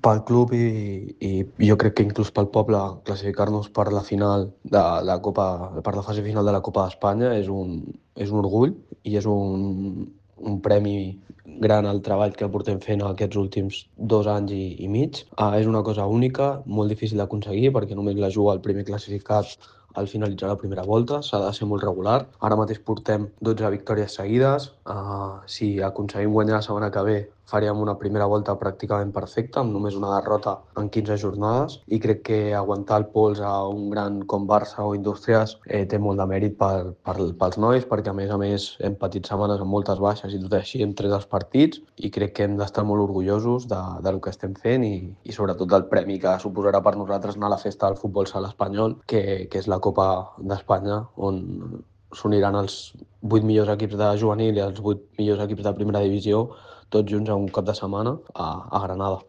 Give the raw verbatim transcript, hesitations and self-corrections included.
Pel club i, i jo crec que inclús pel poble, classificar-nos per la final de la Copa, per la fase final de la Copa d'Espanya és un, és un orgull i és un, un premi gran al treball que portem fent aquests últims dos anys i, i mig. Ah, és una cosa única, molt difícil d'aconseguir perquè només la juga el primer classificat al finalitzar la primera volta, s'ha de ser molt regular. Ara mateix portem dotze victòries seguides. Uh, si aconseguim guanyar la setmana que ve, faríem una primera volta pràcticament perfecta, amb només una derrota en quinze jornades, i crec que aguantar el pols a un gran com Barça o Indústries eh, té molt de mèrit per, per, pels nois, perquè a més a més hem patit setmanes amb moltes baixes i tot així hem tret els partits, i crec que hem d'estar molt orgullosos de, de lo que estem fent i, i sobretot del premi que suposarà per nosaltres anar a la festa del futbol sala espanyol, que, que és la Copa d'Espanya, on s'uniran els vuit millors equips de juvenil i els vuit millors equips de primera divisió tots junts a un cap de setmana a, a Granada.